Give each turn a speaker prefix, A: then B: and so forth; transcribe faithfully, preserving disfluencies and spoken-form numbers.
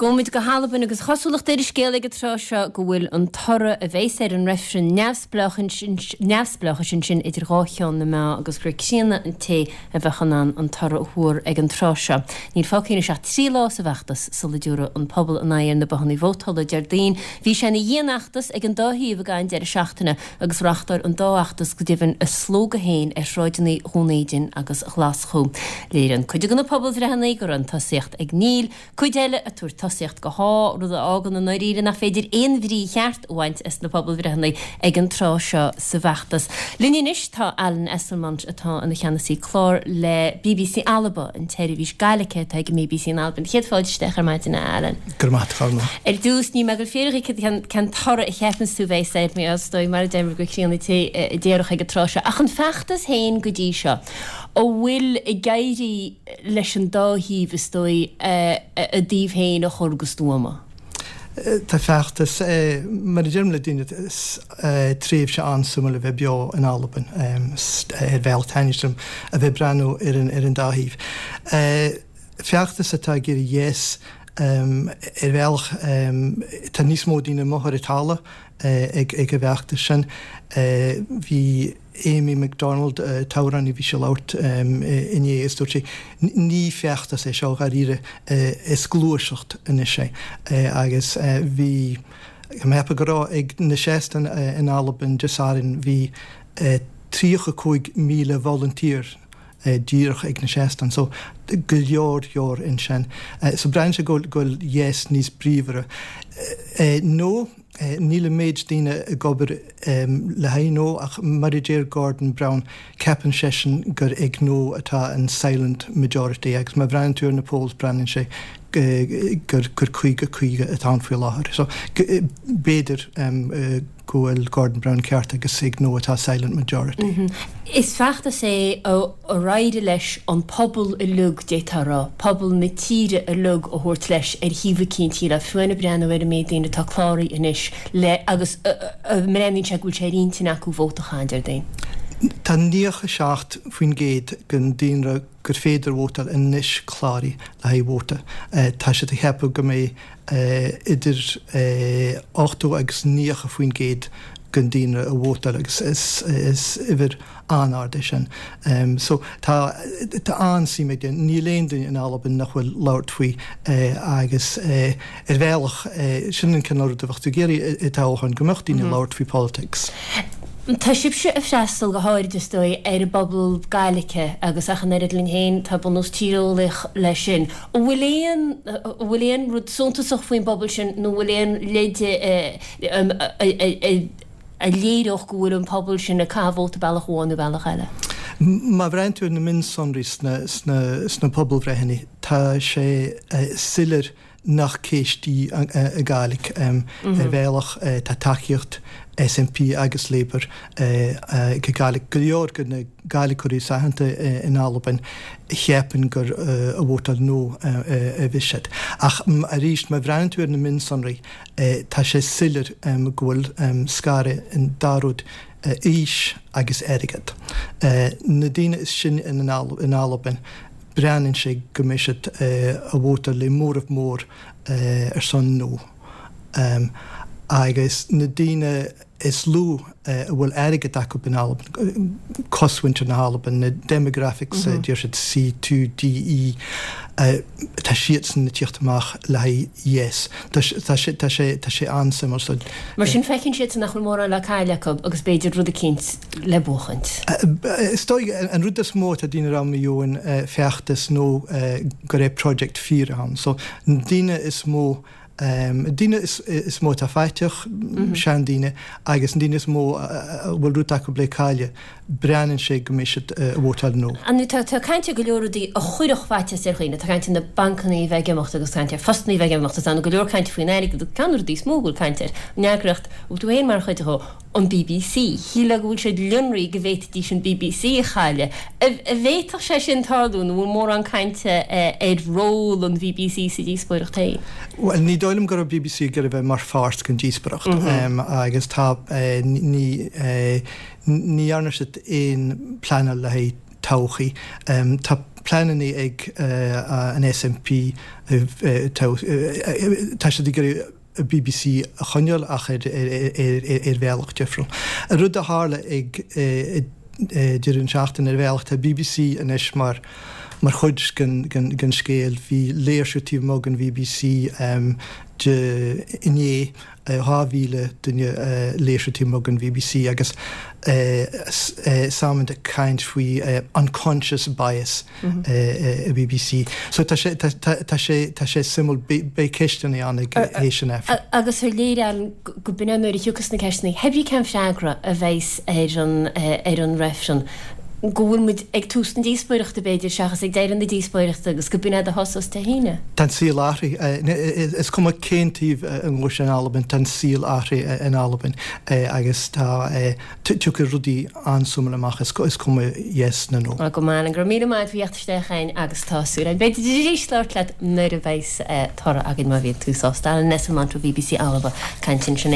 A: Gabhfaimid go hAlbain agus cosúlacht ar an scéal ag an tráth seo go bhfuil an toradh a bheas ar an reifreann neamhspleáchais ansin idir dhá cheann na meá agus gur críonna an té a bheadh in ann an toradh a thuar ag an tráth seo. Níl fágtha anois ach trí lá sa bhfeachtas sula dtabharfaidh an pobal a n-aghaidh ar na bothanna vótála Déardaoin. Bhí sé ina dhianfheachtas ag an dá thaobh ag an deireadh seachtaine agus reáchtáil an dá fheachtas go deimhin a slógadh féin ar shráideanna Dhún Éideann agus Ghlaschú. Léiríonn cuid de na pobalbhreitheanna go raibh an tosaíocht ag Níl, cuid eile ag tabhairt tosaíocht go Tá, rud a fhágann i ndáiríre nach féidir aon bhrí cheart a bhaint as na pobalbhreitheanna ag an tráth seo sa bhfeachtas. Linn anois tá Alan Esslemont atá ina cheannasaí clár le BBC Alba, an tseirbhís Gaeilge atá ag an BBC in Albain. Céad fáilte isteach ar maidin a Alan.
B: Go raibh maith agat.
A: Ar dtús ní mé ag fiafraí cén cén toradh a cheapann tú bheas air mé is dóigh mar a deir gur críonna an té a déarfadh ag an tráth seo. Ach an feachtas féin go dtí seo, an bhfuil ag éirí leis an dá thaobh is dóigh a dtaobh féin a chur go stuama?
B: Tá feachtas mar a deirim le daoine tréimhse an-suimiúil a bheith beo in Albain ar bhealach taitneamhach a bheith breathnú ar an ar an dá thaobh. Feachtas atá ag iarraidh yes ar bhealach tá níos mó daoine amuigh ar an talamh ag ag an bhfeachtas sin. Bhí Amy MacDonald t-amhránaí bhí sí ag labhairt inné is dúirt sí ní feachtas é seo dháiríre is gluaiseacht anois é agus bhí mé ag ceapadh go raibh ag na seastáin in Albain Dé Sathairn bhí tríocha cúig míle volunteer díreach ag na seastáin so go leor leor ansin. So breathnaíonn sé go bhfuil yes níos bríomhaire. No níl an méid daoine ag obair le haghaidh no ach mar a deir Gordon Brown ceapann seisean gur ag no atá an silent majority agus má bhreathnaíonn tú ar na polls breathnaíonn sé gur gur caoga caoga atá ann faoi láthair. So b'fhéidir go bhfuil Gordon Brown ceart agus ag no atá silent majority.
A: Mm -hmm. Is feachtas é a d'éirigh leis an pobal uilig d'fhéadfá a rá, pobal na tíre uilig a thabhairt leis ar thaobh eicínt le fiú breathnú ar an méid daoine atá cláraithe anois le agus breathnaíonn sé go bhfuil sé ar intinn acu vóta a chaitheamh Déardaoin.
B: Tá nócha seacht faoin gcéad den daonra gur féidir vótáil anois cláraithe le haghaidh vóta. Tá siad ag ceapadh go mbeidh idir ochtó agus nócha faoin gcéad den daonra a vótáil agus is is uimhir an-ard é sin. Um, so tá tá an-suim ag níl aon duine in Albain nach bhfuil labhairt faoi agus ar bhealach sin an cineál rud a bheadh tú ag iarraidh i dtoghchán go mbeadh daoine labhairt faoi politics.
A: Tá sibhse ag freastal go háirid is dóigh ar an bpobal Gaeilge agus ach an oiread linn féin tá bunús tíreolaíoch leis sin. An bhfuil aon an bhfuil aon rud suntasach faoin bpobal sin nó bhfuil aon leid a léireodh go bhfuil an pobal sin ag caitheamh vóta bealach amháin nó bealach eile?
B: Má bhreathnaíonn tú ar na mionsonraí sna sna sna pobalbhreitheanna tá sé soiléir nach ceist í an Ghaeilge ar bhealach tá tacaíocht SNP agus Labour ag Gaeilge go leor de na Gaeilgeoirí aitheanta in Albain cheapann gur a vótáil no a bhí siad. Ach arís má bhreathnaíonn tú ar na mionsonraí tá sé soiléir go bhfuil scaradh an dá rud aois agus airgead. Na daoine is sine in in Albain breathnaíonn sé go mbeidh siad a vótáil le móramh mór ar son no. Um, agus na daoine is lú a bhfuil airgead acu in Albain cosmhuintir na hAlban na demographics mm -hmm. deir siad C two D E tá siadsan ag tíocht amach le haghaidh yes. Tá sé tá sé tá sé an-suimiúil.
A: Mar sin feiceann siad nach bhfuil mórán le cailleadh acu agus b'fhéidir rud eicínt le buachaint.
B: Is dóigh an rud is mó atá daoine ag rá faoin feachtas nó go raibh project fíor ann. So na daoine is mó Um, daoine is, is mó atá faiteach mm -hmm. seandaoine agus an daoine is mó a bhfuil rud acu le cailleadh breathnaíonn sé go mbeidh siad uh, vótáil no.
A: An tá tá caint go leor rudaí a chuirfeadh faitíos ar dhaoine, tá caint na bancanna a bheith ag imeacht agus caint ar phostanna a bheith ag imeacht agus go leor caint faoin airgead ceann rudaí is mó go bhfuil caint air. An eagraíocht bhfuil tú féin mar chuid de an BBC. Shílfeá go bhfuil siad lonraí go bhféadfaidís an BBC a chailleadh. An bhféadfadh sé sin tarlú nó bhfuil mórán cainte ar ról an BBC sa díospóireacht féin.
B: Well ní dóigh liom go raibh BBC ag bheith mar pháirt den díospóireacht mm -hmm. um, agus tá uh, ní uh, ní dhearna siad aon pleanáil le haghaidh todhchaí. Um, tá pleananna ag an SNP tá siad ag iarraidh BBC a choinneáil ach ar ar bhealach difriúil. An rud a tharla ag deireadh an seachtain ar bhealach tá BBC anois mar mar chuid den den scéal bhí léirsiú taobh amuigh den BBC de inné dhá mhíle duine léirsiú taobh amuigh den BBC agus Salmond ag caint faoi unconscious bias i BBC. So tá sé tá sé tá sé suimiúil beidh ceisteanna ann ag théis an Aifrinn.
A: Agus ar léir ann go b'in é nuair a thiocfas na ceisteanna, hé brí cén freagra a bheas ar an ar an reifreann, go bhfuil muid ag tús na díospóireachta b'fhéidir seachas ag deireadh na díospóireachta agus go b'in é do thosós Dé hAoine.
B: Tá an saol athraithe. Is cuma cén taobh a ngabhfaidh sé in Albain, tá an saol athraithe in Albain agus tá tiocfaidh rudaí an-suimiúil amach, is cuma yes nó no.
A: Go maith, go raibh míle maith agat a theacht isteach againn agus tá súil againn b'fhéidir arís labhairt leat nuair a bheas toradh againn má bhíonn tú sásta. Alan Esslemont ó BBC Alba ag caint ansin.